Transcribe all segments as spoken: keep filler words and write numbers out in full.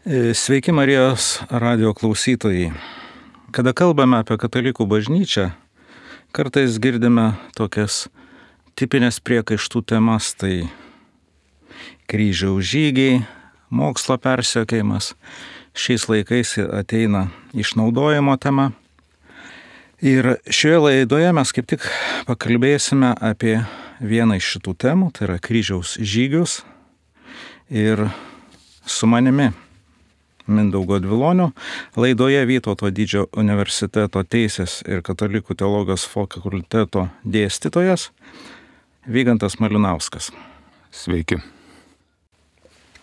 Sveiki Marijos radio klausytojai. Kada kalbame apie katalikų bažnyčią, kartais girdime tokias tipinės priekaištų temas, tai kryžiaus žygiai, mokslo persekiojimas, šiais laikais ateina išnaudojimo tema. Ir šioje laidoje mes kaip tik pakalbėsime apie vieną iš šitų temų, tai yra kryžiaus žygius. Ir su manimi Mindaugo Dvilonio laidoje Vytauto Didžiojo universiteto teisės ir katalikų teologijos fakulteto dėstytojas Vygantas Malinauskas. Sveiki.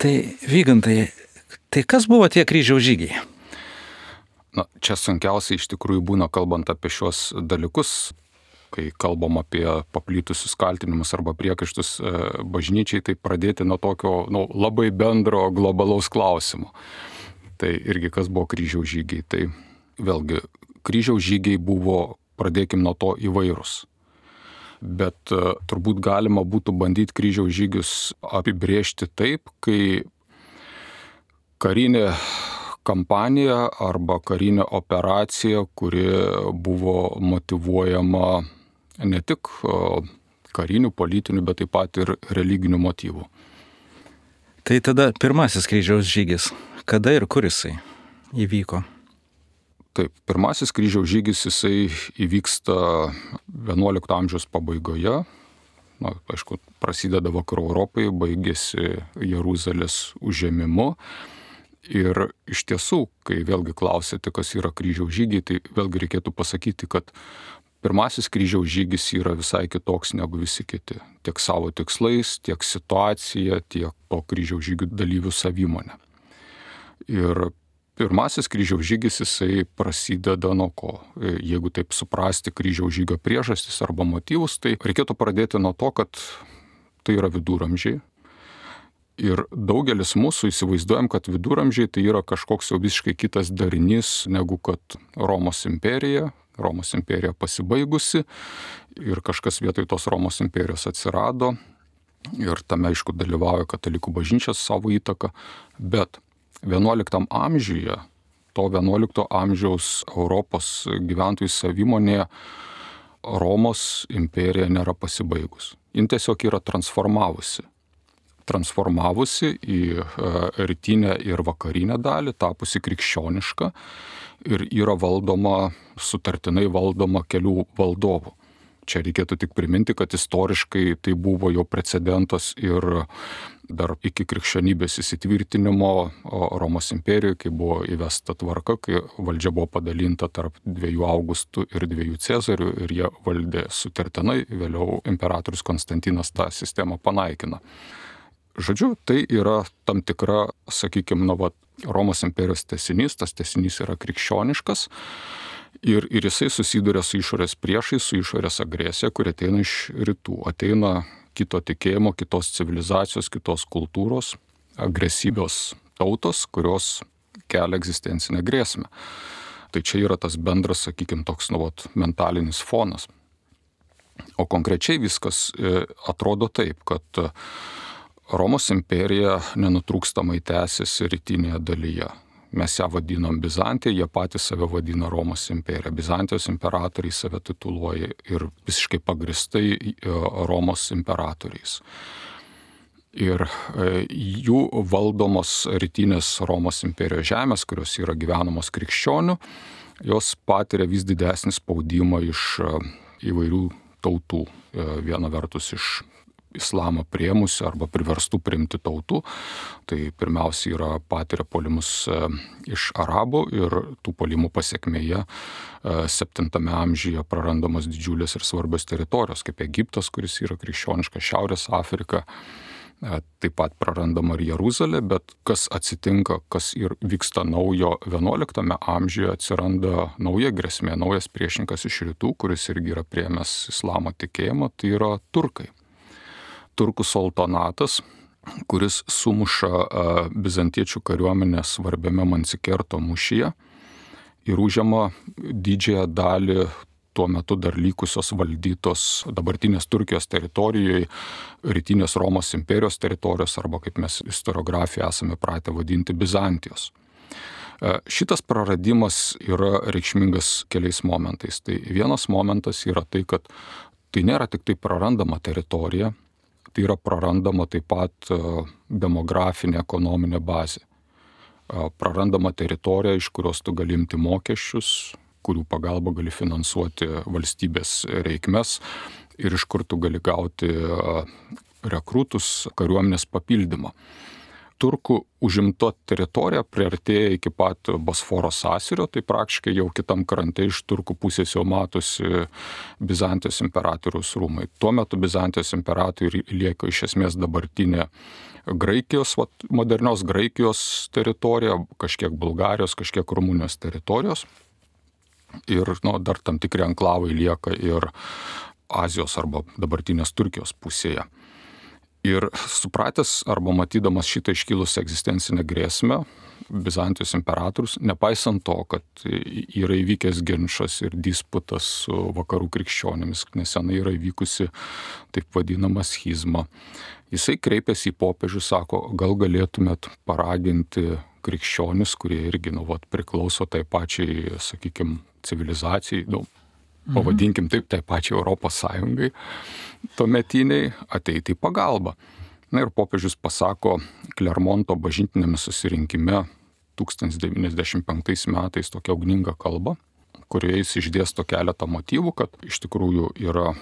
Tai Vygantai, tai kas buvo tie kryžiaus žygiai? Na, čia sunkiausiai iš tikrųjų būna kalbant apie šios dalykus, kai kalbam apie paplitusius kaltinimus arba priekaištus bažnyčiai, tai pradėti nuo tokio nu, labai bendro globalaus klausimo. Tai irgi kas buvo kryžiaus žygiai. Tai vėlgi, kryžiaus žygiai buvo, pradėkim nuo to, įvairūs. Bet uh, turbūt galima būtų bandyti kryžiaus žygius apibrėžti taip, kai karinė kampanija arba karinė operacija, kuri buvo motyvuojama ne tik uh, karinių, politinių, bet taip pat ir religinių motyvų. Tai tada pirmasis kryžiaus žygis. Kada ir kur jisai įvyko? Taip, pirmasis kryžiaus žygis jisai įvyksta vienuolikto amžiaus pabaigoje. Na, aišku, prasideda Vakarų Europai, baigėsi Jeruzalės užėmimu. Ir iš tiesų, kai vėlgi klausėte, kas yra kryžiaus žygiai, tai vėlgi reikėtų pasakyti, kad pirmasis kryžiaus žygis yra visai kitoks negu visi kiti. Tiek savo tikslais, tiek situacija, tiek to kryžiaus žygių dalyvių savimonė. Ir pirmasis kryžiaus žygis jisai prasideda nuo ko? Jeigu taip suprasti kryžiaus žygio priežastis arba motyvus, tai reikėtų pradėti nuo to, kad tai yra viduramžiai. Ir daugelis mūsų įsivaizduojam, kad viduramžiai tai yra kažkoks jau visiškai kitas darinys negu kad Romos imperija. Romos imperija pasibaigusi ir kažkas vietoj tos Romos imperijos atsirado. Ir tame, aišku, dalyvauja katalikų bažnyčios savo įtaką. Bet vienuoliktam amžiuje, to vienuolikto amžiaus Europos gyventojų savimonėje Romos imperija nėra pasibaigus. Jin tiesiog yra transformavusi. Transformavusi į rytinę ir vakarinę dalį, tapusi krikščioniška ir yra valdoma, sutartinai valdoma kelių valdovų. Čia reikėtų tik priminti, kad istoriškai tai buvo jau precedentas ir dar iki krikščionybės įsitvirtinimo Romos imperijoje, kai buvo įvesta tvarka, kai valdžia buvo padalinta tarp dviejų Augustų ir dviejų Cezarių ir jie valdė sutartinai, vėliau imperatorius Konstantinas tą sistemą panaikina. Žodžiu, tai yra tam tikra, sakykime, nu, va, Romos imperijos tęsinys, tas tęsinys yra krikščioniškas. Ir, ir jisai susiduria su išorės priešais, su išorės agresija, kuri ateina iš rytų. Ateina kito tikėjimo, kitos civilizacijos, kitos kultūros, agresyvios tautos, kurios kelia egzistencinę grėsmę. Tai čia yra tas bendras, sakykime, toks nu, vat, mentalinis fonas. O konkrečiai viskas e, atrodo taip, kad Romos imperija nenutrūkstamai tęsiasi rytinėje dalyje. Mes ją vadinam Bizantija, jie patys save vadina Romos imperija. Bizantijos imperatoriai save tituluoja ir visiškai pagristai Romos imperatoriais. Ir jų valdomos rytinės Romos imperijos žemės, kurios yra gyvenamos krikščionių, jos patiria vis didesnį spaudimą iš įvairių tautų. Viena vertus iš islamą priėmusių arba priverstų priimti tautų. Tai pirmiausia yra patiria puolimus iš arabų ir tų puolimų pasekmėje septintame amžiuje prarandamos didžiulės ir svarbios teritorijos, kaip Egiptas, kuris yra krikščioniška, Šiaurės Afrika, taip pat prarandama ir Jeruzalė, bet kas atsitinka, kas ir vyksta naujo vienuoliktame amžiuje, atsiranda nauja grėsmė, naujas priešininkas iš rytų, kuris irgi yra priėmęs islamo tikėjimą, tai yra turkai. Turkų sultonatas, kuris sumuša bizantiečių kariuomenę svarbiame Mansikerto mūšyje ir užima didžiąją dalį tuo metu dar likusios valdytos dabartinės Turkijos teritorijoje, rytinės Romos imperijos teritorijos arba, kaip mes istoriografiją esame pratę vadinti, Bizantijos. Šitas praradimas yra reikšmingas keliais momentais. Tai vienas momentas yra tai, kad tai nėra tik tai prarandama teritorija, tai yra prarandama taip pat demografinė, ekonominė bazė. Prarandama teritorija, iš kurios tu gali imti mokesčius, kurių pagalba gali finansuoti valstybės reikmes ir iš kur tu gali gauti rekrutus, kariuomenės papildymą. Turkų užimta teritorija priartėja iki pat Bosforo sąsiaurio, tai praktiškai jau kitam krante iš turkų pusės jau matosi Bizantijos imperatoriaus rūmai. Tuo metu Bizantijos imperatoriui lieka iš esmės dabartinė Graikijos, modernios Graikijos teritorija, kažkiek Bulgarijos, kažkiek Rumunijos teritorijos. Ir nu, dar tam tikri anklavai lieka ir Azijos arba dabartinės Turkijos pusėje. Ir supratęs arba matydamas šitą iškilusią egzistencinę grėsmę, Bizantijos imperatorius, nepaisant to, kad yra įvykęs ginčas ir disputas su vakarų krikščionimis, nesenai yra įvykusi taip vadinama schizma, jisai kreipėsi į popiežių, sako, gal galėtumėt paraginti krikščionis, kurie irgi nu, vat, priklauso tai pačiai, sakykime, civilizacijai, nu, pavadinkim taip, tai pačiai Europos Sąjungai, tuometiniai ateiti į pagalbą. Na ir popiežius pasako Klermonto bažnytiniame susirinkime tūkstantis devyniasdešimt penktais metais tokią ugningą kalbą, kurioje jis išdėsto keletą motyvų, kad iš tikrųjų yra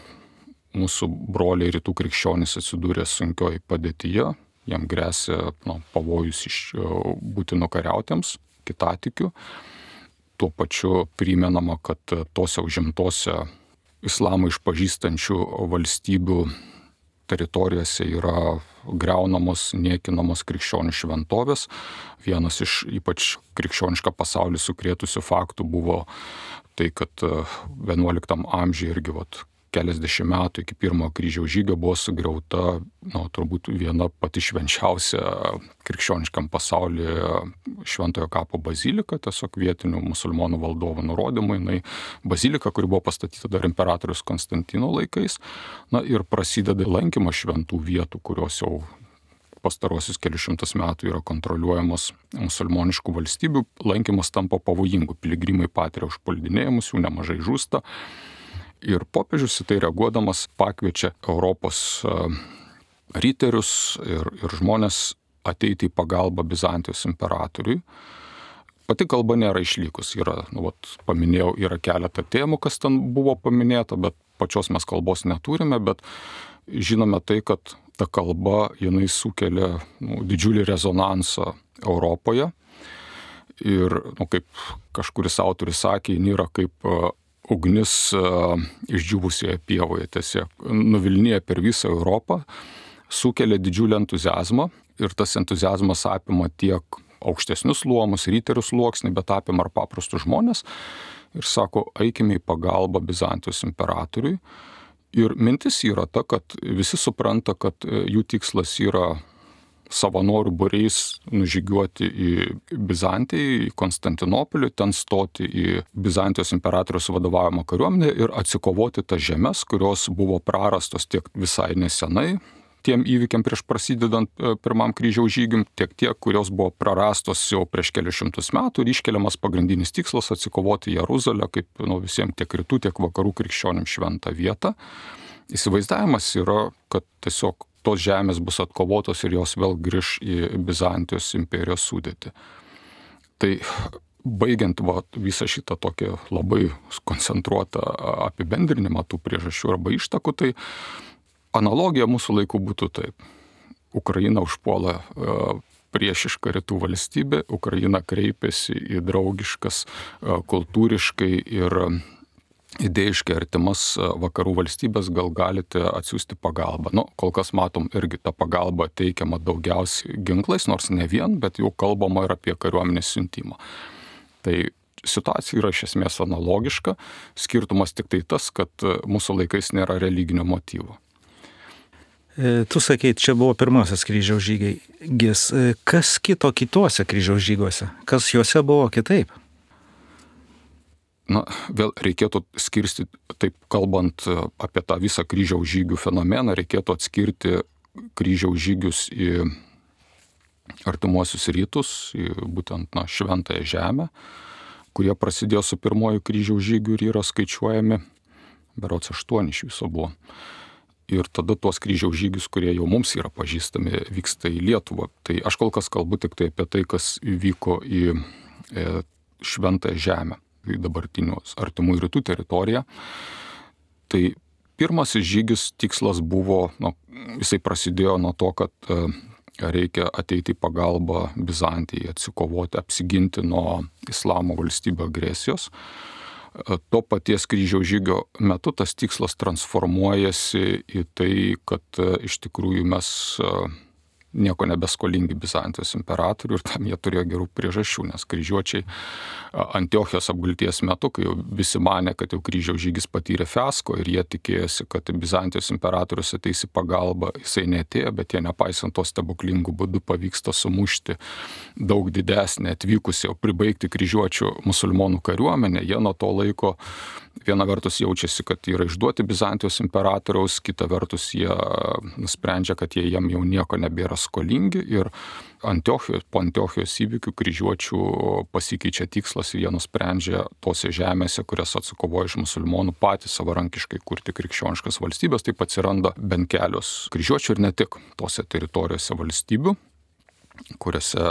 mūsų broliai rytų krikščionys atsidūrė sunkioj padėtyje, jam gresia nu, pavojus iš būti nukariautėms, kitatikių. Tuo pačiu primenama, kad tose užimtose islamą išpažįstančių valstybių teritorijose yra griaunamos, niekinamos krikščionių šventovės. Vienas iš ypač krikščionišką pasaulį sukrėtusių faktų buvo tai, kad vienuoliktam amžiuje irgi vat, keliasdešimt metų iki pirmojo kryžiaus žygio buvo sugriauta, nu, turbūt viena pati švenčiausia krikščioniškam pasaulyje Šventojo kapo bazilika, tiesiog vietinių musulmonų valdovų nurodymai. Na, bazilika, kuri buvo pastatyta dar imperatorius Konstantino laikais. Na ir prasideda lankymas šventų vietų, kurios jau pastarosius kelius šimtus metų yra kontroliuojamos musulmoniškų valstybių. Lankymas tampa pavojingu, piligrimai patiria užpuldinėjimus, jų nemažai žūsta. Ir popiežius į tai reaguodamas pakviečia Europos riterius ir, ir žmonės ateiti į pagalbą Bizantijos imperatoriui. Pati kalba nėra išlikus, yra, nu, vat, paminėjau, yra keletą temų, kas ten buvo paminėta, bet pačios mes kalbos neturime, bet žinome tai, kad ta kalba, jinai sukelia nu, didžiulį rezonansą Europoje. Ir, nu, kaip kažkuris autorius sakė, jin yra kaip ugnis uh, išdžiūvusioje pievoje, tiesiog nuvilnija per visą Europą, sukelia didžiulį entuziazmą ir tas entuziazmas apima tiek aukštesnius luomus, riterių sluoksnį, bet apima ir paprastus žmonės ir sako, eikime į pagalbą Bizantijos imperatoriui. Ir mintis yra ta, kad visi supranta, kad jų tikslas yra savanorių būriais nužygiuoti į Bizantiją, į Konstantinopolį, ten stoti į Bizantijos imperatoriaus vadovaujamą kariuomenę ir atsikovoti tas žemes, kurios buvo prarastos tiek visai nesenai tiem įvykiam prieš prasidedant pirmam kryžiaus žygiui, tiek tie, kurios buvo prarastos jau prieš kelius šimtus metų ir iškeliamas pagrindinis tikslas atsikovoti Jeruzalę kaip nu, visiems tiek rytų, tiek vakarų krikščionim šventą vietą. Įsivaizdavimas yra, kad tiesiog tos žemės bus atkovotos ir jos vėl grįž į Bizantijos imperijos sudėtį. Tai baigiant va, visą šitą tokią labai koncentruotą apibendrinimą tų priežasčių arba ištakų, tai analogija mūsų laikų būtų taip. Ukraina užpuola priešišką rytų valstybę, Ukraina kreipiasi į draugiškas kultūriškai ir idėjiškai artimas vakarų valstybės, gal galite atsiųsti pagalbą. Nu, kol kas matom irgi tą pagalbą teikiamą daugiausiai ginklais, nors ne vien, bet jau kalbama ir apie kariuomenės siuntimą. Tai situacija yra iš esmės analogiška, skirtumas tik tai tas, kad mūsų laikais nėra religinio motyvo. Tu sakei, čia buvo pirmasis kryžiaus žygis. Kas kito kitose kryžiaus žygiuose? Kas juose buvo kitaip? Na, vėl reikėtų skirstyti, taip kalbant apie tą visą kryžiaus žygių fenomeną, reikėtų atskirti kryžiaus žygius į artimuosius rytus, į būtent na, Šventąją Žemę, kurie prasidėjo su pirmoju kryžiaus žygiu ir yra skaičiuojami, berods aštuoni iš viso buvo. Ir tada tuos kryžiaus žygius, kurie jau mums yra pažįstami, vyksta į Lietuvą. Tai aš kol kas kalbu tik tai apie tai, kas vyko į e, Šventąją Žemę, į dabartinių artimų rytų teritoriją. Tai pirmasis žygis tikslas buvo, nu, jisai prasidėjo nuo to, kad e, reikia ateiti į pagalbą Bizantijai, atsikovoti, apsiginti nuo islamo valstybių agresijos. To paties kryžiaus žygio metu tas tikslas transformuojasi į tai, kad iš tikrųjų mes nieko nebeskolingi Bizantijos imperatoriui ir tam jie turėjo gerų priežasčių, nes kryžiuočiai Antiochijos apgulties metu, kai jau visi manė, kad jau kryžiaus žygis patyrė fiasko ir jie tikėjosi, kad Bizantijos imperatorius ateis į pagalbą, jisai neatėjo, bet jie nepaisant to stebuklingų būdų pavyksta sumušti daug didesnį atvykusi jau pribaigti kryžiuočių musulmonų kariuomenę. Jie nuo to laiko viena vertus jaučiasi, kad yra išduoti Bizantijos imperatoriaus, kita vertus jie nusprendžia, kad jie jam jau nieko nebėra skolingi ir Antiochijos, po Antiochijos įvykių kryžiuočių pasikeičia tikslas ir jie nusprendžia tose žemėse, kurias atsikovojo iš musulmonų, patys savarankiškai kurti krikščioniškas valstybės. Taip atsiranda bent kelios kryžiuočių ir ne tik tose teritorijose valstybių, kuriuose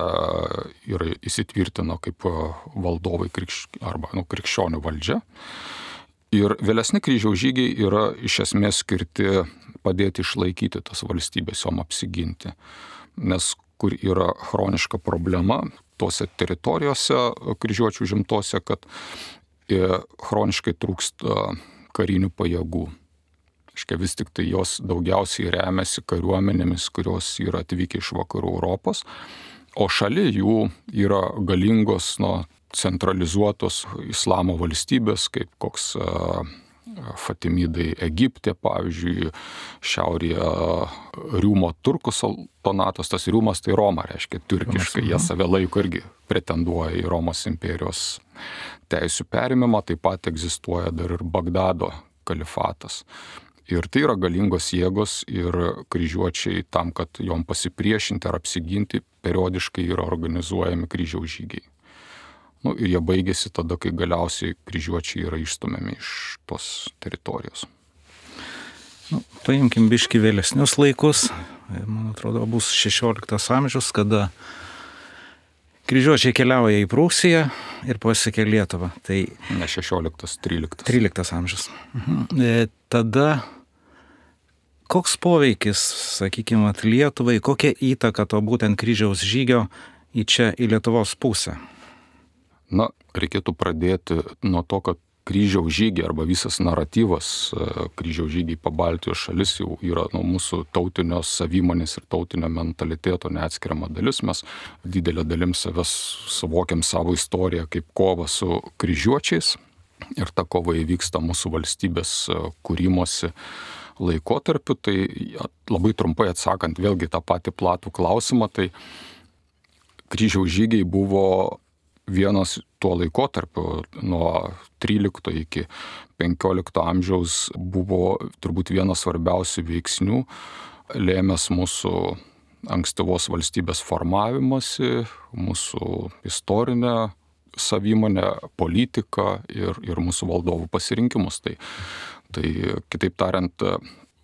yra įsitvirtino kaip valdovai krikš... arba nu, krikščionių valdžia. Ir vėlesni kryžiaus žygiai yra iš esmės skirti padėti išlaikyti tas valstybės, jom apsiginti. Nes kur yra chroniška problema tose teritorijose kryžiuočių žimtose, kad chroniškai trūksta karinių pajėgų. Aiškia, vis tik tai jos daugiausiai remiasi kariuomenėmis, kurios yra atvykę iš vakarų Europos, o šalia jų yra galingos, nu, centralizuotos islamo valstybės, kaip koks uh, Fatimidai Egipte, pavyzdžiui, šiaurėje Riumo turkų sultonatas, tas Riumas tai Roma, reiškia, turkiškai, jie save laiko irgi pretenduoja į Romos imperijos teisių perimimą, taip pat egzistuoja dar ir Bagdado kalifatas. Ir tai yra galingos jėgos ir kryžiuočiai tam, kad jom pasipriešinti ar apsiginti, periodiškai yra organizuojami kryžiaus žygiai. Nu, ir jie baigėsi tada, kai galiausiai kryžiuočiai yra išstumiami iš tos teritorijos. Nu, paimkim biškį vėlesnius laikus. Man atrodo, bus šešioliktas amžius, kada kryžiuočiai keliauja į Prūsiją ir pasiekia Lietuvą. Tai ne šešioliktas, tryliktas. tryliktas amžius. Mhm. E, tada koks poveikis, sakykime, Lietuvai, kokia įtaka to būtent kryžiaus žygio į čia, į Lietuvos pusę? Na, reikėtų pradėti nuo to, kad kryžiaus žygiai arba visas naratyvas kryžiaus žygiai po Baltijos šalis jau yra nuo mūsų tautinio savimonės ir tautinio mentaliteto neatskiriama dalis. Mes didelę dalim savęs suvokiam savo istoriją kaip kovą su kryžiuočiais ir ta kova įvyksta mūsų valstybės kūrimosi laikotarpiu. Tai labai trumpai atsakant vėlgi tą patį platų klausimą, tai kryžiaus žygiai buvo vienas tuo laikotarpiu nuo trylikto iki penkiolikto amžiaus buvo turbūt vienas svarbiausių veiksnių, lėmęs mūsų ankstyvos valstybės formavimąsi, mūsų istorinę savimonę, politiką ir, ir mūsų valdovų pasirinkimus. Tai, tai kitaip tariant,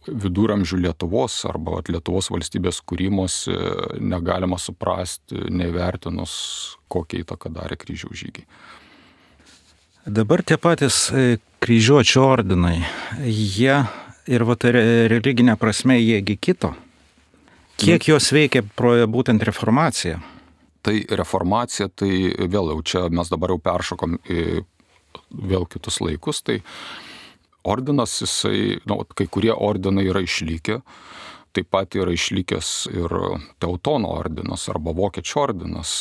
viduramžių Lietuvos arba Lietuvos valstybės kūrimosi negalima suprasti, nevertinus, kokią įtaką darė kryžiaus žygiai. Dabar tie patys kryžiuočių ordinai, jie ir vat, religinė prasme jiegi kito. Kiek jos veikia pro būtent reformaciją? Tai reformacija, tai vėl jau čia mes dabar jau peršokom į vėl kitus laikus, tai ordinas, jisai, nu, kai kurie ordinai yra išlikę, taip pat yra išlikęs ir Teutono ordinas arba Vokiečių ordinas.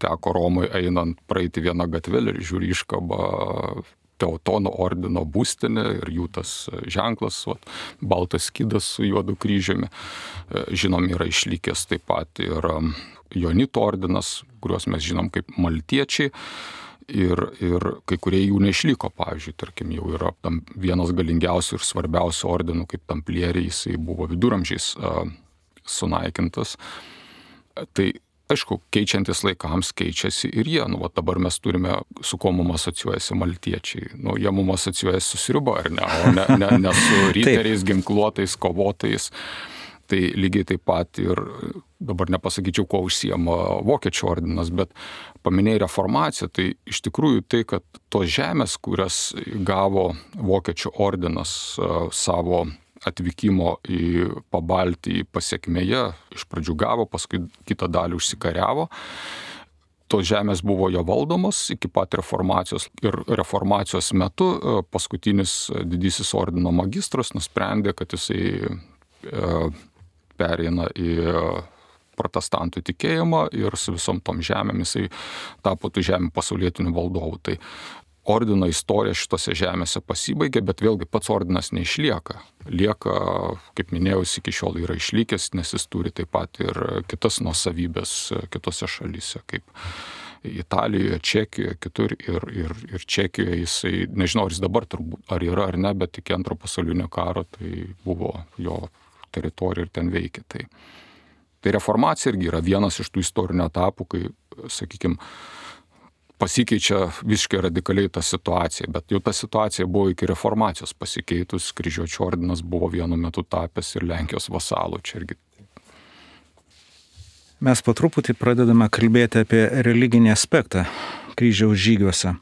Teko Romui einant praeiti vieną gatvelį ir žiūri iškaba Teutono ordino būstinė ir jų tas ženklas, vat, baltas skydas su juodu kryžiumi. Žinom, yra išlikęs taip pat ir Jonito ordinas, kuriuos mes žinom kaip maltiečiai. ir, ir kai kurie jų neišliko, pavyzdžiui, tarkim, jau yra tam vienas galingiausių ir svarbiausių ordinų, kaip tamplieriai, jisai buvo viduramžiais a, sunaikintas. Tai, aišku, keičiantis laikams keičiasi ir jie. Nu, va, dabar mes turime, su kuo mums asocijuojasi maltiečiai. Nu, jie mums asocijuojasi su sriuba, ar ne, o ne, ne, ne su riteriais, ginkluotais, kovotais. Tai lygiai taip pat ir, dabar nepasakyčiau, kuo užsiema Vokiečių ordinas, bet paminėjai reformaciją, tai iš tikrųjų tai, kad tos žemės, kurias gavo Vokiečių ordinas savo atvykimo į Pabaltį pasiekmėje, iš pradžių gavo, paskui kitą dalį užsikariavo. Tos žemės buvo jo valdomos iki pat reformacijos ir reformacijos metu paskutinis didysis ordino magistras nusprendė, kad jisai pereina į protestantų tikėjimą ir su visom tom žemėm jisai tapo tų žemių pasaulietinių valdovų. Tai ordino istorija šitose žemėse pasibaigė, bet vėlgi pats ordinas neišlieka. Lieka, kaip minėjau, iki šiol yra išlikęs, nes jis turi taip pat ir kitas nuosavybės kitose šalyse, kaip Italijoje, Čekijoje, kitur ir, ir, ir Čekijoje jisai, nežinau, ar jis dabar turbūt, ar yra ar ne, bet iki antro pasaulinio karo tai buvo jo teritorija ir ten veikia. Tai, tai reformacija irgi yra vienas iš tų istorinių etapų, kai, sakykime, pasikeičia visiškai radikaliai ta situacija, bet jau ta situacija buvo iki reformacijos pasikeitus, kryžiuočių ordinas buvo vienu metu tapęs ir Lenkijos vasalų, čia irgi. Mes po truputį pradedame kalbėti apie religinį aspektą kryžiaus žygiuose.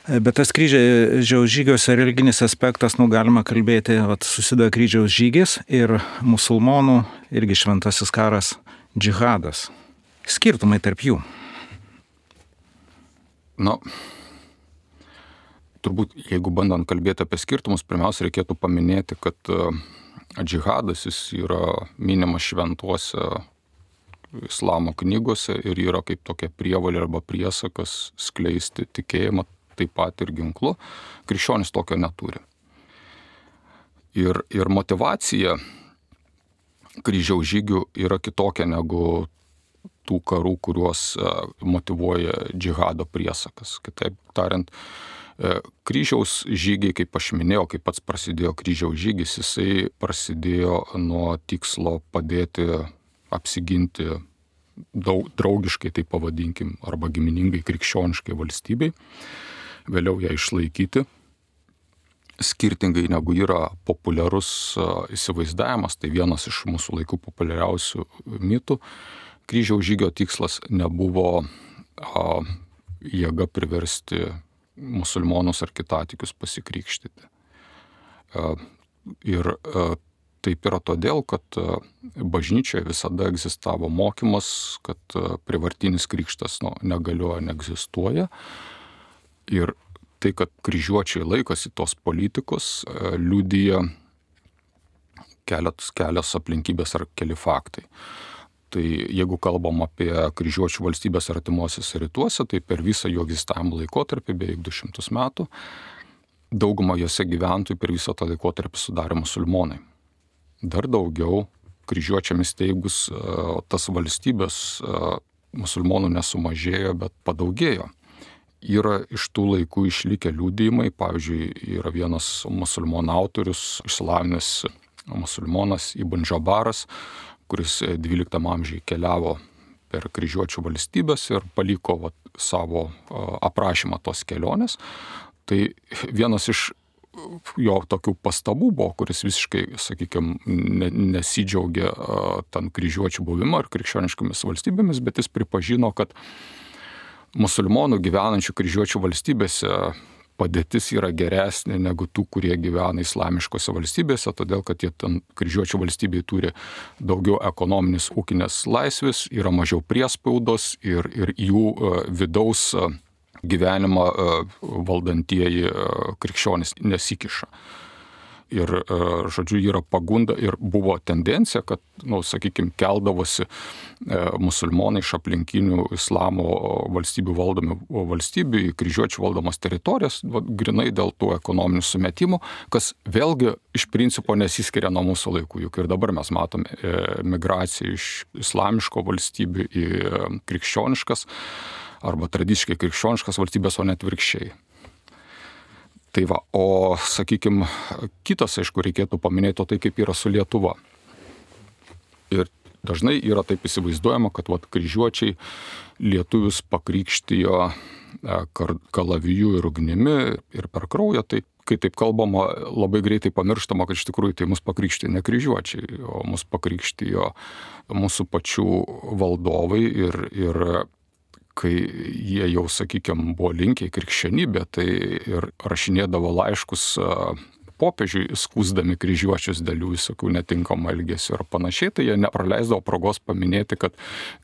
Bet tas kryžiaus žygiuose religinis aspektas, nu, galima kalbėti, vat, susideda kryžiaus žygis ir musulmonų irgi šventasis karas džihadas. Skirtumai tarp jų. Na, turbūt, jeigu bandant kalbėti apie skirtumus, pirmiausia reikėtų paminėti, kad džihadas jis yra minimas šventuose islamo knygose ir yra kaip tokia prievolė arba priesakas skleisti tikėjimą, taip pat ir ginklu. Krikščionis tokio neturi. Ir, ir motyvacija kryžiaus žygių yra kitokia negu tų karų, kuriuos motyvuoja džihado priesakas. Kitaip tariant, kryžiaus žygiai, kaip aš minėjau, kaip pats prasidėjo kryžiaus žygis, jisai prasidėjo nuo tikslo padėti apsiginti daug, draugiškai, tai pavadinkim, arba giminingai krikščioniškai valstybei, vėliau ją išlaikyti. Skirtingai negu yra populiarus įsivaizdavimas, tai vienas iš mūsų laikų populiariausių mitų, kryžiaus žygio tikslas nebuvo a, jėga priversti musulmonus ar kitatikius pasikrikštyti. A, ir a, taip yra todėl, kad a, bažnyčioje visada egzistavo mokymas, kad a, prievartinis krikštas nu, negalioja, neegzistuoja. Ir tai, kad kryžiuočiai laikosi tos politikos, a, liudija kelios, kelios aplinkybės ar keli faktai. Tai jeigu kalbam apie kryžiuočių valstybės artimuosiuose rytuose, tai per visą jų egzistavimo laikotarpį, beveik du šimtus metų, dauguma jose gyventojų per visą tą laikotarpį sudarė musulmonai. Dar daugiau kryžiuočiams steigus tas valstybės musulmonų nesumažėjo, bet padaugėjo. Yra iš tų laikų išlikę liudijimai, pavyzdžiui, yra vienas musulmonų autorius, išsilavinęs musulmonas Ibn Džabaras, kuris dvyliktam amžiuje keliavo per kryžiuočių valstybės ir paliko vat, savo aprašymą tos kelionės. Tai vienas iš jo tokių pastabų buvo, kuris visiškai, sakykime, nesidžiaugė ten kryžiuočių buvimą ar krikščioniškomis valstybėmis, bet jis pripažino, kad musulmonų gyvenančių kryžiuočių valstybėse padėtis yra geresnė negu tų, kurie gyvena islamiškose valstybėse, todėl kad jie ten kryžiuočių valstybėje turi daugiau ekonominės ūkinės laisvės, yra mažiau priespaudos ir, ir jų vidaus gyvenimą valdantieji krikščionys nesikiša. Ir, žodžiu, yra pagunda ir buvo tendencija, kad, nu, sakykime, keldavosi musulmonai iš aplinkinių islamo valstybių valdomų valstybių į kryžiuočių valdomas teritorijas, va, grinai dėl tų ekonominių sumetimų, kas vėlgi iš principo nesiskiria nuo mūsų laikų. Juk ir dabar mes matome migraciją iš islamiško valstybių į krikščioniškas arba tradiciškai krikščioniškas valstybės, o net virkščiai. Tai va, o sakykime, kitas, aišku, reikėtų paminėti tai, kaip yra su Lietuva. Ir dažnai yra taip įsivaizduojama, kad vat, kryžiuočiai lietuvius pakrikštijo kalaviju ir ugnimi ir per kraują, tai kai taip kalbama, labai greitai pamirštama, kad iš tikrųjų tai mus pakrikštijo ne kryžiuočiai, o mus pakrikštijo mūsų pačių valdovai ir, ir kai jie jau, sakykime, buvo linkę į krikščionybę, tai ir rašinėdavo laiškus popiežiui, skųsdami kryžiuočius dėl jų visokių netinkamų elgesių ir panašiai, tai jie nepraleisdavo progos paminėti, kad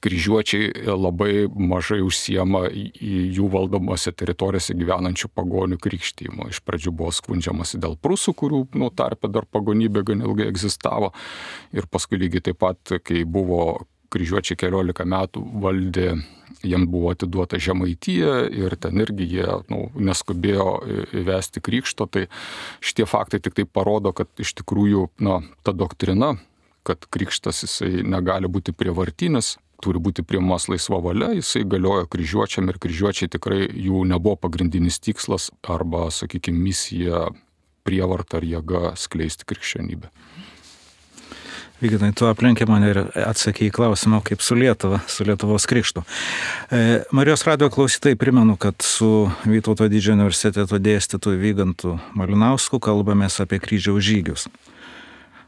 kryžiuočiai labai mažai užsiema į jų valdomose teritorijose gyvenančių pagonių krikštymo. Iš pradžių buvo skundžiamasi dėl prūsų, kurių nu, tarpe dar pagonybė gan ilgai egzistavo, ir paskui lygiai taip pat, kai buvo kryžiuočiai keliolika metų valdė, jiems buvo atiduota Žemaitija ir ten irgi jie nu, neskubėjo įvesti krikšto, tai šitie faktai tik tai parodo, kad iš tikrųjų na, ta doktrina, kad krikštas jisai negali būti prievartinis, turi būti priimamas laisva valia, jisai galiojo kryžiuočiam ir kryžiuočiai tikrai jų nebuvo pagrindinis tikslas arba, sakykime, misija prievarta ar jėga skleisti krikščionybę. Vyginai, tu aplinkė mane ir atsakė į klausimą, kaip su Lietuva, su Lietuvos krikštu. E, Marijos radijo klausytojai primenu, kad su Vytauto didžiojo universiteto dėstytoju Vygantu Malinausku kalbamės apie kryžiaus žygius.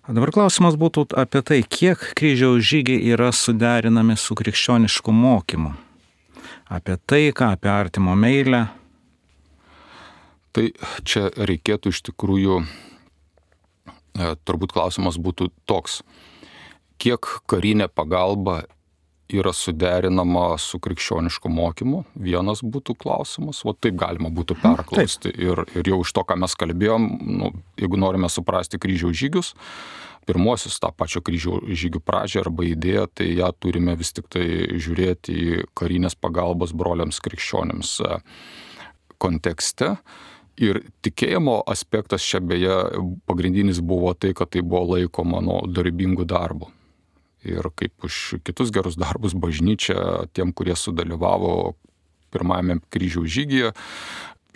Dabar klausimas būtų apie tai, kiek kryžiaus žygiai yra suderinami su krikščionišku mokymu. Apie taiką, apie artimo meilę. Tai čia reikėtų iš tikrųjų, turbūt klausimas būtų toks, kiek karinė pagalba yra suderinama su krikščionišku mokymu, vienas būtų klausimas, o taip galima būtų perklausti. Ir, ir jau iš to, ką mes kalbėjom, nu, jeigu norime suprasti kryžiaus žygius, pirmosius tą pačią kryžiaus žygių pradžią arba idėją, tai ją turime vis tik tai žiūrėti į karinės pagalbos broliams krikščionims kontekste. Ir tikėjimo aspektas čia beje pagrindinis buvo tai, kad tai buvo laikoma nu, darbingų darbų. Ir kaip už kitus gerus darbus bažnyčia tiem, kurie sudalyvavo pirmajame kryžiaus žygyje,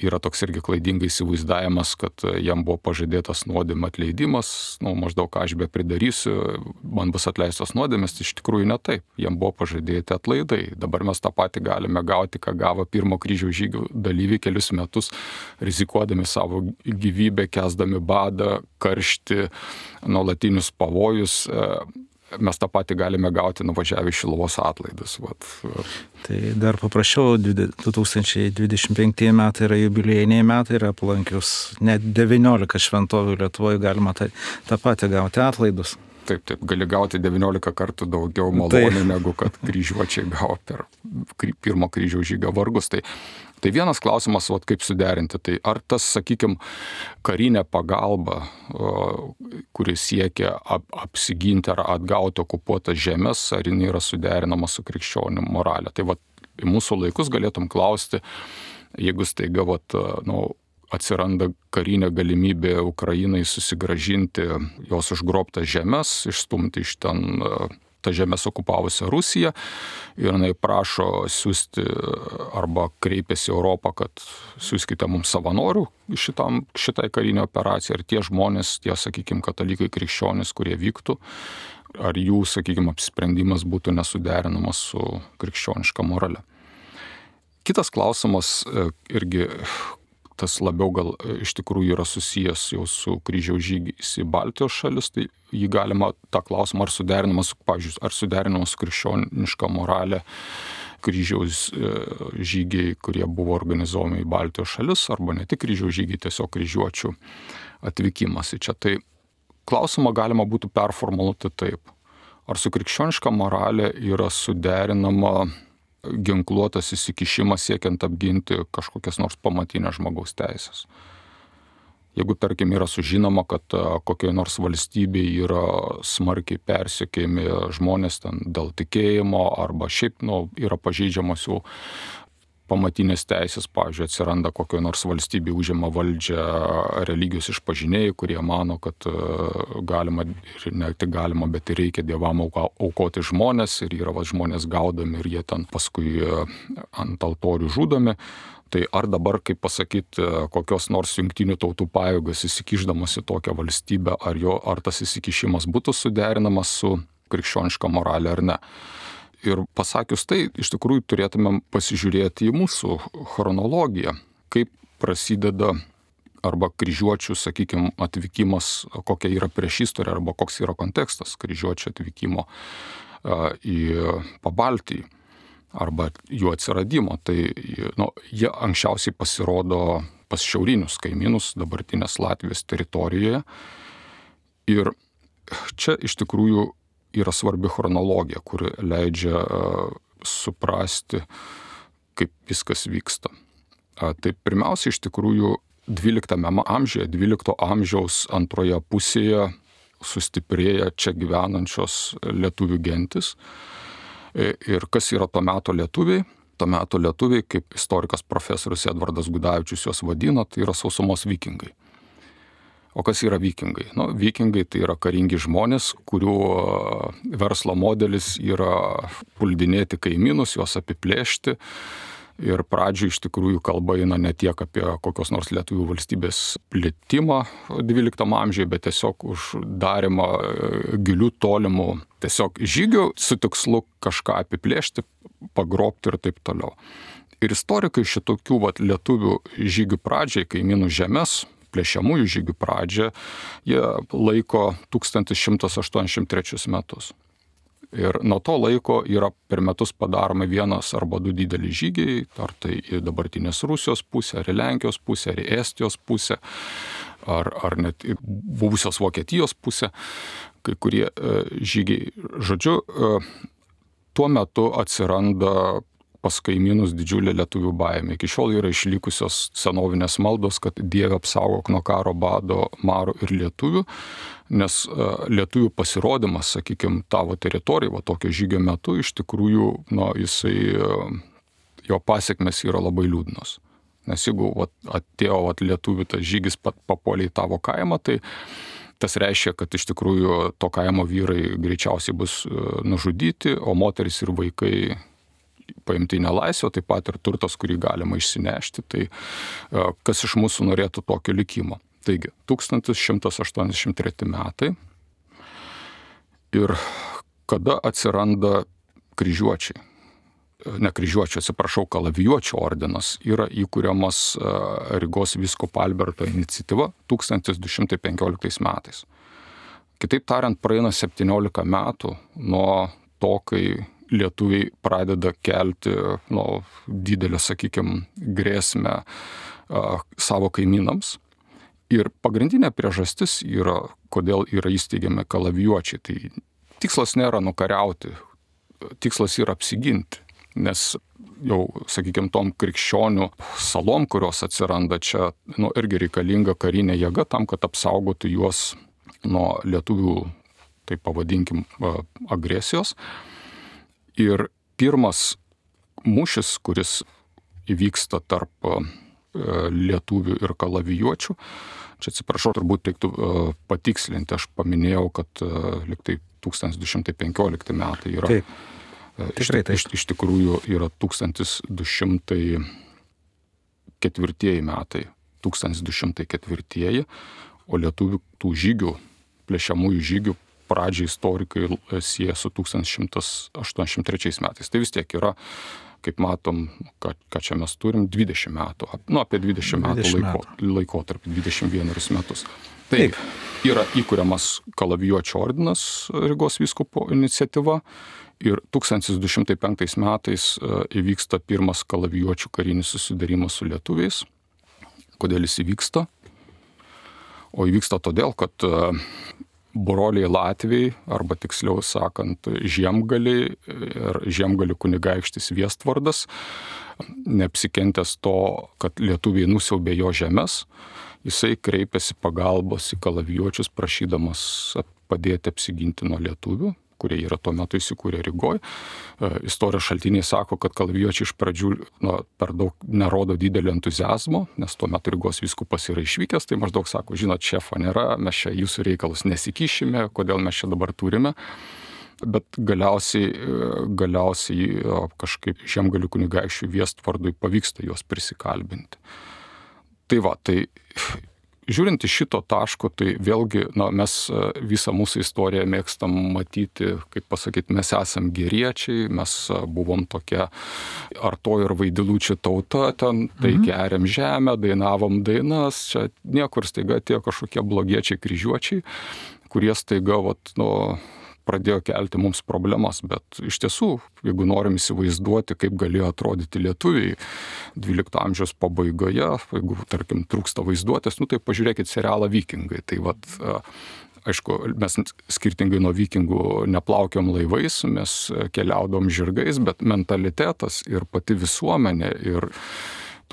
yra toks irgi klaidingai įsivaizdavimas, kad jam buvo pažadėtas nuodėmė atleidimas, nu, maždaug ką aš be pridarysiu, man bus atleistos nuodėmės, tai iš tikrųjų ne taip, jam buvo pažadėti atlaidai. Dabar mes tą patį galime gauti, ką gavo pirmo kryžiaus žygių dalyviai kelius metus, rizikuodami savo gyvybę, kęsdami badą, karštį, nuolatinius pavojus. Mes tą patį galime gauti nuvažiavę į Šiluvos atlaidus. Vat. Tai dar paprašiau, du tūkstančiai dvidešimt penkti metai yra jubiliejiniai metai ir aplankius net devyniolika šventovių Lietuvoje galima tą, tą patį gauti atlaidus. Taip, taip, gali gauti devyniolika kartų daugiau malonių, negu kad kryžiuočiai gavo per pirmo kryžiaus žygio vargus. Tai, tai vienas klausimas, vat, kaip suderinti, tai ar tas, sakykime, karinė pagalba, kuris siekia ap, apsiginti ar atgauti okupuotas žemės, ar jinai yra suderinama su krikščionių moralė. Tai vat, į mūsų laikus galėtum klausti, jeigu staiga vat, nu, atsiranda karinė galimybė Ukrainai susigražinti jos užgrobtas žemės, išstumti iš ten tą žemės okupavusią Rusiją ir jinai prašo siūsti arba kreipiasi Europą, kad siūskite mums savanorių šitam, šitai karinė operacija ir tie žmonės, tie, sakykime, katalikai krikščionys, kurie vyktų, ar jų, sakykime, apsisprendimas būtų nesuderinamas su krikščioniška morale. Kitas klausimas irgi tas labiau gal iš tikrųjų yra susijęs jau su kryžiaus žygiais į Baltijos šalis, tai jį galima tą klausimą, ar suderinamas, pavyzdžiui, ar suderinamas su krikščioniška moralė kryžiaus žygiai, kurie buvo organizuojami į Baltijos šalis, arba ne tik kryžiaus žygiai, tiesiog kryžiuočių atvykimas į čia. Tai klausimą galima būtų performuluoti taip. Ar su krikščioniška moralė yra suderinama ginkluotas įsikišimas siekiant apginti kažkokias nors pamatinės žmogaus teisės. Jeigu, tarkim, yra sužinoma, kad kokioje nors valstybėje yra smarkiai persekiojami žmonės ten dėl tikėjimo arba šiaip nu, yra pažeidžiamos jų pamatinės teisės, pavyzdžiui, atsiranda kokioje nors valstybėje, užima valdžią religijos išpažinėjai, kurie mano, kad galima, ir ne tik galima, bet ir reikia dievam aukoti žmonės, ir yra va, žmonės gaudomi ir jie ten paskui ant altorių žudomi. Tai ar dabar, kaip pasakyti, kokios nors jungtinių tautų pajėgos įsikišdamas į tokią valstybę, ar, jo, ar tas įsikišimas būtų suderinamas su krikščioniška moralė ar ne. Ir pasakius tai, iš tikrųjų turėtumėm pasižiūrėti į mūsų chronologiją, kaip prasideda arba kryžiuočių, sakykime, atvykimas, kokia yra priešistorė arba koks yra kontekstas kryžiuočių atvykimo į Pabaltijį arba jų atsiradimo. Tai nu, jie anksčiausiai pasirodo pas šiaurinius kaimynus dabartinės Latvijos teritorijoje. Ir čia iš tikrųjų yra svarbi chronologija, kuri leidžia uh, suprasti, kaip viskas vyksta. Uh, tai pirmiausia, iš tikrųjų, dvyliktame amžiuje, dvylikto amžiaus antroje pusėje sustiprėja čia gyvenančios lietuvių gentis. Ir kas yra to meto lietuviai? To meto lietuviai, kaip istorikas profesorius Edvardas Gudavičius juos vadina, tai yra sausumos vikingai. O kas yra vikingai? Nu, vikingai tai yra karingi žmonės, kurių verslo modelis yra puldinėti kaimynus, juos apiplėšti. Ir pradžioj iš tikrųjų kalba eina ne tiek apie kokios nors lietuvių valstybės plėtimą dvyliktam amžiuje, bet tiesiog uždarimą gilių tolimų tiesiog žygių su tikslu kažką apiplėšti, pagrobti ir taip toliau. Ir istorikai šitokių vat, lietuvių žygių pradžiai, kaimynų žemės, plėšiamųjų žygių pradžią, jie laiko tūkstantis šimtas aštuoniasdešimt trečius metus. Ir nuo to laiko yra per metus padaromi vienas arba du dideli žygiai, ar tai į dabartinės Rusijos pusę, ar į Lenkijos pusę, ar į Estijos pusę, ar, ar net į buvusios Vokietijos pusę, kai kurie e, žygiai. Žodžiu, e, tuo metu atsiranda pas kaimynus didžiulė lietuvių baimė. Iki šiol yra išlikusios senovinės maldos, kad Dieve apsaugok nuo karo, bado, maro ir lietuvių, nes lietuvių pasirodymas, sakykime, tavo teritorijai, va tokio žygio metu, iš tikrųjų, nu, jisai, jo pasiekmes yra labai liūdnos. Nes jeigu va, atėjo va, lietuvių tas žygis papuolė į tavo kaimą, tai tas reiškia, kad iš tikrųjų to kaimo vyrai greičiausiai bus nužudyti, o moteris ir vaikai paimti į nelaisvę, taip pat ir turtas, kurį galima išsinešti. Tai kas iš mūsų norėtų tokio likimo? Taigi, tūkstantis šimtas aštuoniasdešimt treti metai. Ir kada atsiranda kryžiuočiai? Ne kryžiuočiai, atsiprašau, kalavijuočių ordinas yra įkuriamas Rygos vyskupo Alberto iniciatyva tūkstantis du šimtai penkioliktais metais. Kitaip tariant, praeina septyniolika metų nuo to, kai lietuviai pradeda kelti nu, didelę, sakykime, grėsmę uh, savo kaimynams. Ir pagrindinė priežastis yra, kodėl yra įsteigiami kalavijuočiai. Tai tikslas nėra nukariauti, tikslas yra apsiginti. Nes jau, sakykime, tom krikščionių salom, kurios atsiranda čia, nu, irgi reikalinga karinė jėga tam, kad apsaugotų juos nuo lietuvių, tai pavadinkim, agresijos. Ir pirmas mūšis, kuris įvyksta tarp lietuvių ir kalavijuočių, čia atsiprašau, turbūt reiktų patikslinti, aš paminėjau, kad liktai tūkstantis du šimtai penkiolikti metai yra. Taip. Tikrai taip. Iš, iš tikrųjų yra tūkstantis du šimtai ketvirtieji metai, tūkstantis du šimtai ketvirtieji, o lietuvių tų žygių, plėšiamųjų žygių pradžią istorikai sieja su tūkstantis šimtas aštuoniasdešimt trečiais metais. Tai vis tiek yra, kaip matom, ką, ką čia mes turim, dvidešimt metų, nu apie dvidešimt metų laiko, laikotarpį, dvidešimt vienerius metus. Taip, yra įkuriamas kalavijuočių ordinas Rygos vyskupo iniciatyva ir tūkstantis du šimtai penktais metais įvyksta pirmas kalavijuočių karinis susidarimas su lietuviais. Kodėl jis įvyksta? O įvyksta todėl, kad broliai Latviai, arba tiksliau sakant, Žiemgaliai ir Žiemgalių kunigaikštis Viestvardas, neapsikentęs to, kad lietuviai nusiaubė jo žemes, jisai kreipėsi pagalbos į kalavijuočius, prašydamas padėti apsiginti nuo lietuvių, kurie yra tuo metu įsikūrę Rygoj. Istorijos šaltiniai sako, kad kalavijuočiai iš pradžių na, per daug nerodo didelio entuzijazmo, nes tuo metu Rygos vyskupas yra išvykęs, tai maždaug sako, žinot, šefo nėra, mes čia jūsų reikalus nesikišime, kodėl mes čia dabar turime. Bet galiausiai, galiausiai kažkaip Žiemgalių kunigaikščiui Viestvardui pavyksta juos prisikalbinti. Tai va, tai žiūrint iš šito taško, tai vėlgi na, mes visą mūsų istoriją mėgstam matyti, kaip pasakyti, mes esam geriečiai, mes buvom tokia Arto ir Vaidilučių tauta, ten tai geriam žemę, dainavom dainas, čia niekur staiga atėjo kažkokie blogiečiai kryžiuočiai, kurie staiga vat, nu, pradėjo kelti mums problemas, bet iš tiesų, jeigu norim įsivaizduoti, kaip galėjo atrodyti lietuviai dvylikto amžiaus pabaigoje, jeigu, tarkim, trūksta vaizduotės, nu tai pažiūrėkit serialą Vikingai. Tai vat, aišku, mes skirtingai nuo vikingų neplaukiam laivais, mes keliaudom žirgais, bet mentalitetas ir pati visuomenė ir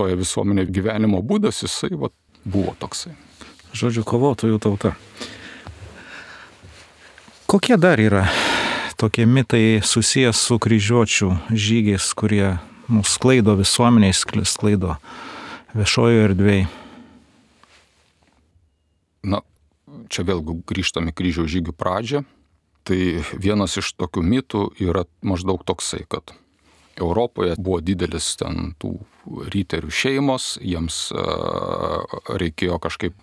toje visuomenėje gyvenimo būdas, jisai vat, buvo toksai. Žodžiu, kovotojų tauta. Kokie dar yra tokie mitai susijęs su kryžiuočių žygiais, kurie mus sklaido visuomeniai, sklaido viešojo erdvėje? Na, čia vėl grįžtame kryžiaus žygių pradžią. Tai vienas iš tokių mitų yra maždaug toksai, kad Europoje buvo didelis ten tų ryterių šeimos, jiems reikėjo kažkaip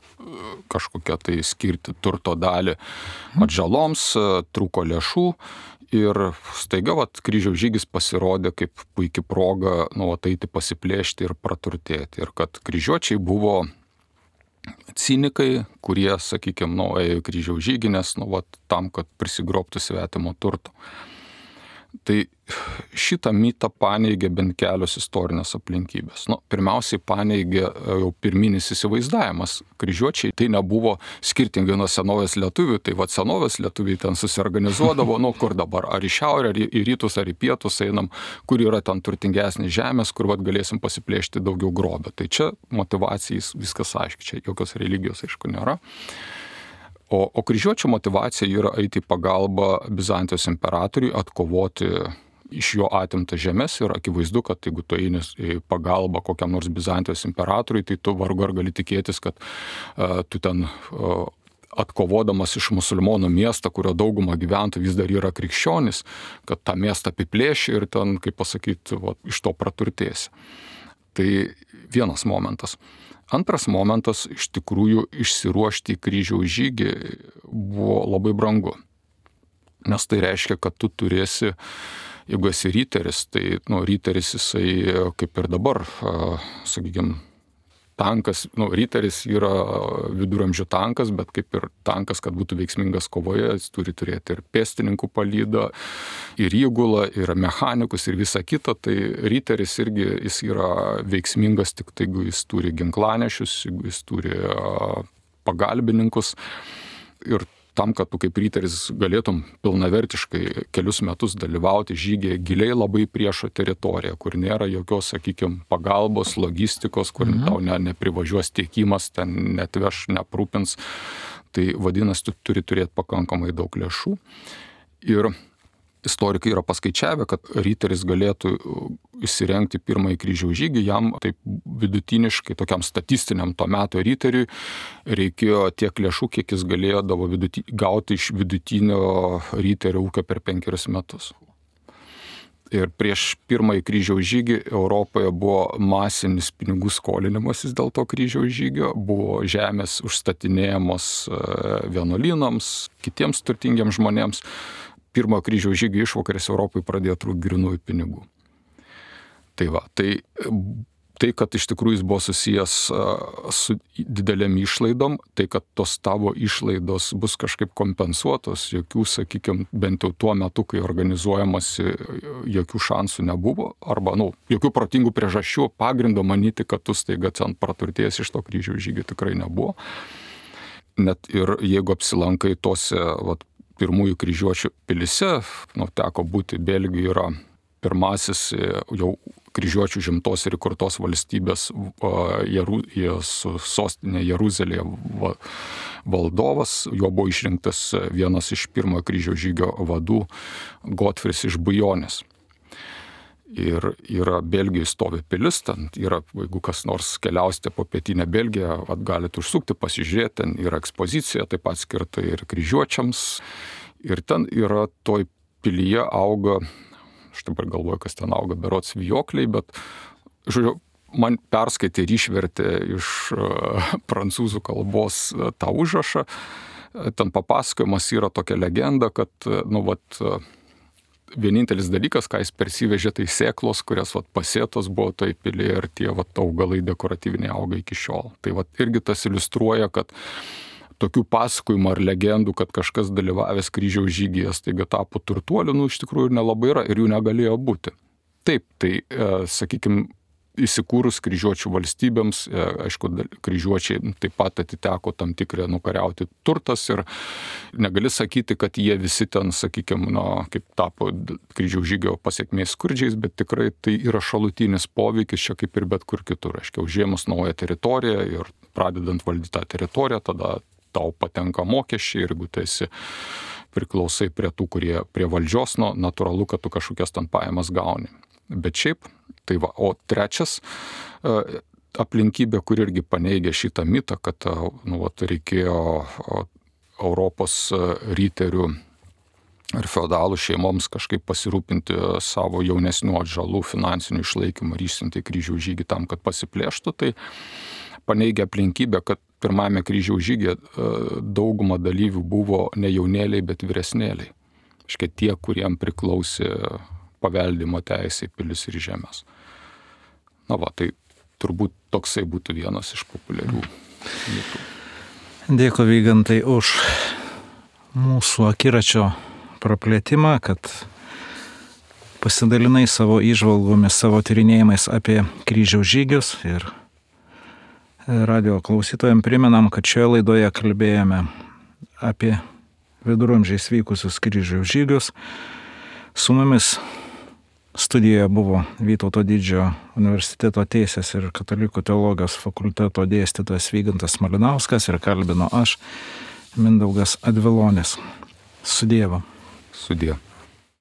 kažkokią tai skirti turto dalį atžaloms, trūko lėšų ir staiga vat, kryžiaus žygis pasirodė kaip puikia proga nu, ateiti pasiplėšti ir praturtėti. Ir kad kryžiuočiai buvo cinikai, kurie, sakykime, nu, ėjo į kryžiaus žygį, nes nu, vat, tam, kad prisigrobtų svetimo turto. Tai šitą mitą paneigė bent kelios istorinės aplinkybės. Nu, pirmiausiai paneigė jau pirminis įsivaizdavimas. Kryžiuočiai tai nebuvo skirtingai nuo senovės lietuvių, tai vat senovės lietuviai ten susiorganizuodavo, nu kur dabar, ar į šiaurę, ar į rytus, ar į pietus einam, kur yra ten turtingesnės žemės, kur vat galėsim pasiplėšti daugiau grobio. Tai čia motyvacijais viskas aiškiai, čia jokios religijos aišku nėra. O, o kryžiuočio motyvacija yra eiti į pagalbą Bizantijos imperatoriui, atkovoti iš jo atimtas žemės ir akivaizdu, kad jeigu tu eini į pagalbą kokiam nors Bizantijos imperatoriui, tai tu vargu ar gali tikėtis, kad uh, tu ten uh, atkovodamas iš musulmonų miestą, kurio dauguma gyventojų vis dar yra krikščionys, kad tą miestą apiplėši ir ten, kaip pasakyti, va, iš to praturtėsi. Tai vienas momentas. Antras momentas, iš tikrųjų, išsiruošti į kryžiaus žygį buvo labai brangu. Nes tai reiškia, kad tu turėsi, jeigu esi ryteris, tai nu, ryteris jisai kaip ir dabar, sakykime, tankas, nu, ryteris yra viduramžių tankas, bet kaip ir tankas, kad būtų veiksmingas kovoje, jis turi turėti ir pėstininkų palydą, ir įgulą, ir mechanikus, ir visą kitą. Tai ryteris irgi jis yra veiksmingas tik tai, jeigu jis turi ginklanešius, jeigu jis turi pagalbininkus. Ir tam, kad tu kaip ryteris galėtum pilnavertiškai kelius metus dalyvauti žygyje giliai labai priešo teritoriją, kur nėra jokios, sakykime, pagalbos, logistikos, kur mhm. tau ne, neprivažiuos tiekimas, ten netveš, neprūpins. Tai vadinasi, tu turi turėti pakankamai daug lėšų. Ir istorikai yra paskaičiavę, kad ryteris galėtų įsirengti pirmąjį kryžiaus žygį, jam taip vidutiniškai, tokiam statistiniam to meto ryteriui reikėjo tiek lėšų, kiek jis galėjo viduti, gauti iš vidutinio ryterio ūkio per penkerius metus. Ir prieš pirmąjį kryžiaus žygį Europoje buvo masinis pinigų skolinimasis dėl to kryžiaus žygio, buvo žemės užstatinėjamos vienuolynams, kitiems turtingiems žmonėms. Pirmo kryžiaus žygio išvakarės Europai pradėjo trūkti grynųjų pinigų. Tai va, tai, tai, kad iš tikrųjų jis buvo susijęs su didelėm išlaidom, tai, kad tos tavo išlaidos bus kažkaip kompensuotos, jokių, sakykime, bent jau tuo metu, kai organizuojamasi, jokių šansų nebuvo, arba, nu, jokių protingų priežasčių, pagrindo manyti, kad tu staiga ten praturtės iš to kryžiaus žygio tikrai nebuvo. Net ir jeigu apsilankai tose, vat, pirmųjų kryžiuočių pilyse, nu, teko būti Belgijoje, yra pirmasis jau kryžiuočių žimtos ir įkurtos valstybės Jeru, su sostinė Jeruzalėje valdovas. Jo buvo išrinktas vienas iš pirmojo kryžiaus žygio vadų, Gotfris iš Bujonės. Ir yra Belgijoje stovi pilis, ten yra, jeigu kas nors keliausite po pietinę Belgiją, vat, galite užsukti, pasižiūrėti, ten yra ekspozicija, taip pat skirta ir kryžiuočiams. Ir ten yra toj pilyje auga, aš dabar galvoju, kas ten auga, berods vijokliai, bet, žodžiu, man perskaitė ir išvertė iš uh, prancūzų kalbos uh, tą užrašą. Ten papasakojimas yra tokia legenda, kad, nu, vat, uh, vienintelis dalykas, ką jis persivežė, tai sėklos, kurias vat, pasėtos buvo toj pilyje ir tie vat, augalai dekoratyviniai auga iki šiol. Tai vat, irgi tas iliustruoja, kad tokių pasakojimų ar legendų, kad kažkas dalyvavęs kryžiaus žygyje staiga tapo turtuoliu, nu iš tikrųjų ir nelabai yra ir jų negalėjo būti. Taip, tai, e, sakykime, įsikūrus kryžiuočių valstybėms, e, aišku, kryžiuočiai taip pat atiteko tam tikrą nukariauti turtas ir negali sakyti, kad jie visi ten, sakykime, na, kaip tapo kryžiaus žygio pasiekmės skurdžiais, bet tikrai tai yra šalutinis poveikis čia kaip ir bet kur kitur. Aiškiai, užėmus naują teritoriją ir pradedant valdyti tą teritoriją, tada tau patenka mokesčiai ir jeigu tu esi priklausai prie tų, kurie prie valdžios, nu, natūralu, kad tu kažkokias ten pajamas gauni. Bet šiaip, tai va, o trečias aplinkybė, kur irgi paneigia šitą mitą, kad, nu, va, reikėjo Europos riterių ir feodalų šeimoms kažkaip pasirūpinti savo jaunesnių atžalų finansinių išlaikymų ir išsiuntė kryžiaus žygį tam, kad pasiplėštų, tai paneigia aplinkybę, kad pirmame kryžiaus žygyje dauguma dalyvių buvo ne jaunėliai, bet vyresnėliai. Iškia tie, kuriem priklausė paveldimo teisė į pilis ir žemės. Na va, tai turbūt toksai būtų vienas iš populiarių mitų. Dėkui, Vygantai, už mūsų akiračio praplėtimą, kad pasidalinai savo įžvalgomis, savo tyrinėjimais apie kryžiaus žygius ir radio klausytojams primenam, kad šioje laidoje kalbėjome apie viduramžiais vykusius kryžiaus žygius. Su mumis studijoje buvo Vytauto Didžiojo universiteto teisės ir katalikų teologijos fakulteto dėstytojas Vygantas Malinauskas ir kalbino aš, Mindaugas Advilonis. Su Dievu. Su Dievu.